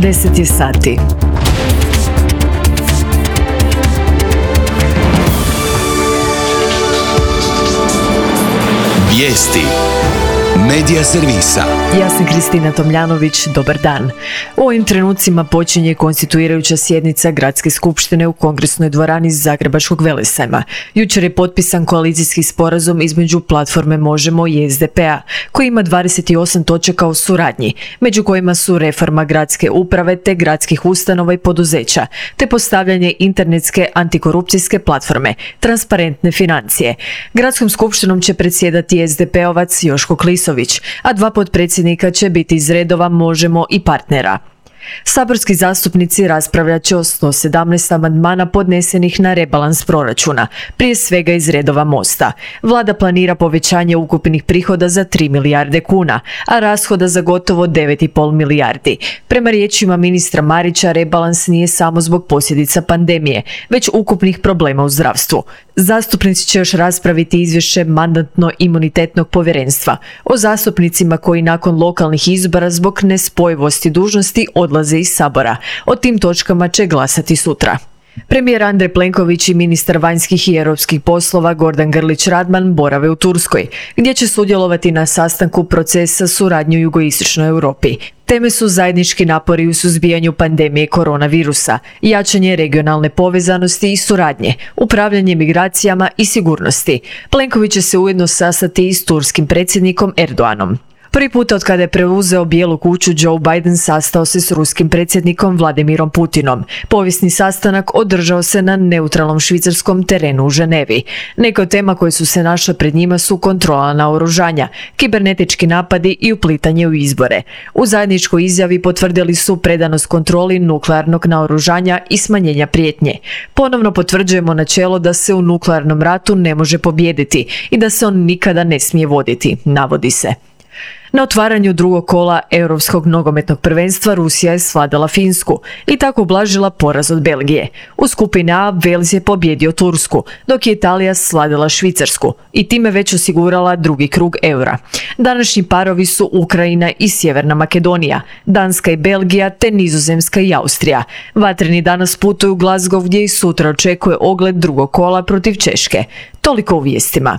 10 je sati. Vijesti Medija servisa. Ja sam Kristina Tomljanović, dobar dan. U ovim trenucima počinje konstituirajuća sjednica Gradske skupštine u Kongresnoj dvorani Zagrebačkog Velesajma. Jučer je potpisan koalicijski sporazum između platforme Možemo i SDP-a, koji ima 28 točaka o suradnji, među kojima su reforma gradske uprave te gradskih ustanova i poduzeća, te postavljanje internetske antikorupcijske platforme, transparentne financije. Gradskom skupštinom će predsjedati SDP-ovac Joško Klisović, a dva potpredsjednika će biti iz redova Možemo i Partnera. Saborski zastupnici raspravljat će o 117 amandmana podnesenih na rebalans proračuna, prije svega iz redova Mosta. Vlada planira povećanje ukupnih prihoda za 3 milijarde kuna, a rashoda za gotovo 9,5 milijardi. Prema riječima ministra Marića, rebalans nije samo zbog posljedica pandemije, već ukupnih problema u zdravstvu. Zastupnici će još raspraviti izvješće Mandatno-imunitetnog povjerenstva o zastupnicima koji nakon lokalnih izbora zbog nespojivosti dužnosti odlaze iz Sabora. O tim točkama će glasati sutra. Premijer Andrej Plenković i ministar vanjskih i europskih poslova Gordan Grlić Radman borave u Turskoj, gdje će sudjelovati na sastanku procesa suradnje u jugoistočnoj Europi. Teme su zajednički napori u suzbijanju pandemije koronavirusa, jačanje regionalne povezanosti i suradnje, upravljanje migracijama i sigurnosti. Plenković će se ujedno sastati i s turskim predsjednikom Erdoganom. Prvi puta od kada je preuzeo Bijelu kuću, Joe Biden sastao se s ruskim predsjednikom Vladimirom Putinom. Povijesni sastanak održao se na neutralnom švicarskom terenu u Ženevi. Neke od tema koje su se našle pred njima su kontrola naoružanja, kibernetički napadi i uplitanje u izbore. U zajedničkoj izjavi potvrdili su predanost kontroli nuklearnog naoružanja i smanjenja prijetnje. Ponovno potvrđujemo načelo da se u nuklearnom ratu ne može pobijediti i da se on nikada ne smije voditi, navodi se. Na otvaranju drugog kola Europskog nogometnog prvenstva Rusija je svladala Finsku i tako ublažila poraz od Belgije. U skupini A Wales je pobjedio Tursku, dok je Italija svladala Švicarsku i time već osigurala drugi krug eura. Današnji parovi su Ukrajina i Sjeverna Makedonija, Danska i Belgija te Nizozemska i Austrija. Vatreni danas putuju u Glasgow gdje i sutra očekuje ogled drugog kola protiv Češke. Toliko u vijestima.